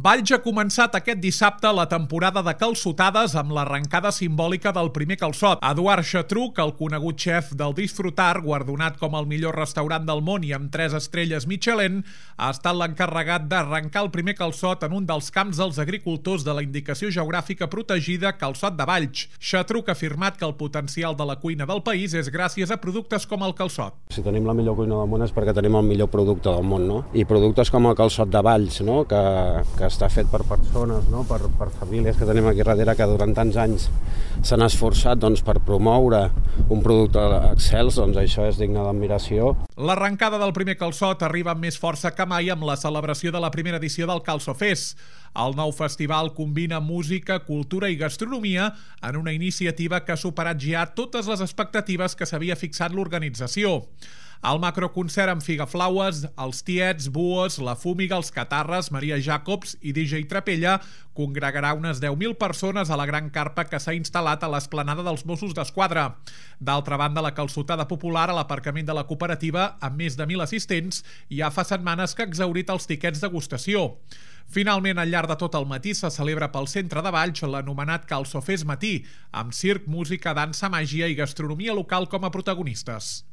Valls ha començat aquest dissabte la temporada de calçotades amb l'arrencada simbòlica del primer calçot. Eduard Xatruc, el conegut xef del Disfrutar, guardonat com el millor restaurant del món i amb 3 estrelles Michelin, ha estat l'encarregat d'arrencar el primer calçot en un dels camps dels agricultors de la indicació geogràfica protegida Calçot de Valls. Xatruc ha afirmat que el potencial de la cuina del país és gràcies a productes com el calçot. Si tenim la millor cuina del món és perquè tenim el millor producte del món, no? I productes com el calçot de Valls, no? que està fet per persones, no? per famílies que tenim aquí darrere que durant tants anys s'han esforçat per promoure un producte excels, això és digne d'admiració. L'arrencada del primer calçot arriba amb més força que mai amb la celebració de la primera edició del Calçofest. El nou festival combina música, cultura i gastronomia en una iniciativa que ha superat ja totes les expectatives que s'havia fixat l'organització. El macroconcert amb Figaflaues, els Tiets, Buos, La Fúmiga, els Catarres, Maria Jacobs i DJ Trapella congregarà unes 10.000 persones a la gran carpa que s'ha instal·lat a l'esplanada dels Mossos d'Esquadra. D'altra banda, la calçotada popular a l'aparcament de la cooperativa, amb més de 1.000 assistents, ja fa setmanes que ha exhaurit els tiquets degustació. Finalment, al llarg de tot el matí se celebra pel centre de Valls l'anomenat Calçofest Matí, amb circ, música, dansa, màgia i gastronomia local com a protagonistes.